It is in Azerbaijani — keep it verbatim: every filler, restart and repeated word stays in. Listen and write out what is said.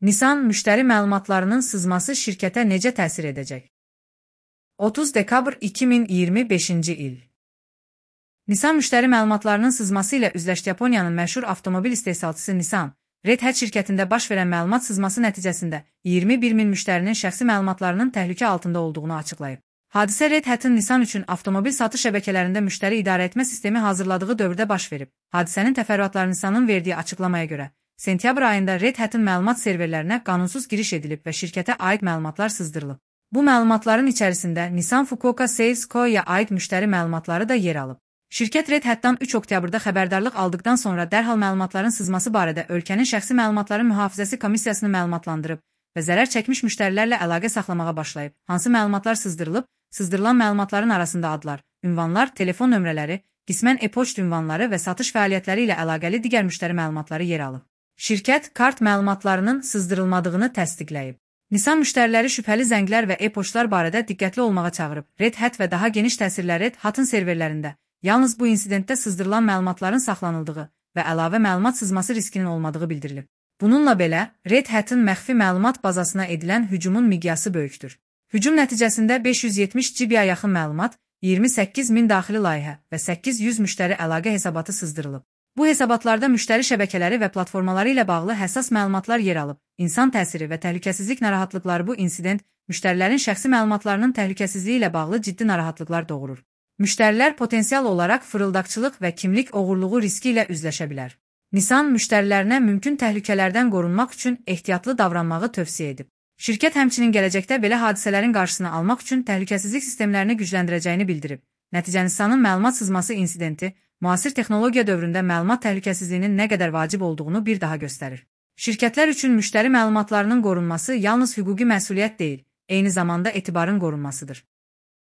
Nissan müştəri məlumatlarının sızması şirkətə necə təsir edəcək? otuz dekabr iki min iyirmi beşinci il. Nissan müştəri məlumatlarının sızması ilə üzləşdi. Yaponiyanın məşhur avtomobil istehsalçısı Nissan, Red Hat şirkətində baş verən məlumat sızması nəticəsində iyirmi bir min müştərinin şəxsi məlumatlarının təhlükə altında olduğunu açıqlayıb. Hadisə Red Hat'ın Nissan üçün avtomobil satış şəbəkələrində müştəri idarə etmə sistemi hazırladığı dövrdə baş verib. Hadisənin təfərrüatları Nissanın verdiyi açıqlamaya görə, sentyabr ayında Red Hat'ın məlumat serverlərinə qanunsuz giriş edilib və şirkətə aid məlumatlar sızdırılıb. Bu məlumatların içərisində Nissan Fukuoka Sales Co-ya aid müştəri məlumatları da yer alıb. Şirkət Red Hat'dan üç oktyabrda xəbərdarlıq aldıqdan sonra dərhal məlumatların sızması barədə ölkənin şəxsi məlumatların mühafizəsi komissiyasını məlumatlandırıb və zərər çəkmiş müştərilərlə əlaqə saxlamağa başlayıb. Hansı məlumatlar sızdırılıb? Sızdırılan məlumatların arasında adlar, ünvanlar, telefon nömrələri, qismən e-poçt ünvanları və satış fəaliyyətləri ilə əlaqəli digər müştəri məlumatları yer alıb. Şirkət kart məlumatlarının sızdırılmadığını təsdiqləyib. Nissan müştəriləri şübhəli zənglər və e-poçtlar barədə diqqətli olmağa çağırıb. Red Hat və daha geniş təsirlər Red Hat'ın serverlərində yalnız bu insidentdə sızdırılan məlumatların saxlanıldığı və əlavə məlumat sızması riskinin olmadığı bildirilib. Bununla belə, Red Hat'ın məxfi məlumat bazasına edilən hücumun miqyası böyükdür. Hücum nəticəsində beş yüz yetmiş giqaya yaxın məlumat, iyirmi səkkiz min daxili layihə və səkkiz yüz müştəri əlaqə hesabatı sızdırılıb. Bu hesabatlarda müştəri şəbəkələri və platformaları ilə bağlı həssas məlumatlar yer alıb. İnsan təsiri və təhlükəsizlik narahatlıqları. Bu insident müştərilərin şəxsi məlumatlarının təhlükəsizliyi ilə bağlı ciddi narahatlıqlar doğurur. Müştərilər potensial olaraq fırıldaqçılıq və kimlik oğurluğu riski ilə üzləşə bilər. Nissan müştərilərinə mümkün təhlükələrdən qorunmaq üçün ehtiyatlı davranmağı tövsiyə edib. Şirkət həmçinin gələcəkdə belə hadisələrin qarşısını almaq üçün təhlükəsizlik sistemlərini gücləndirəcəyini bildirib. Nəticə Nissanın məlumat sızması insidenti müasir texnologiya dövründə məlumat təhlükəsizliyinin nə qədər vacib olduğunu bir daha göstərir. Şirkətlər üçün müştəri məlumatlarının qorunması yalnız hüquqi məsuliyyət deyil, eyni zamanda etibarın qorunmasıdır.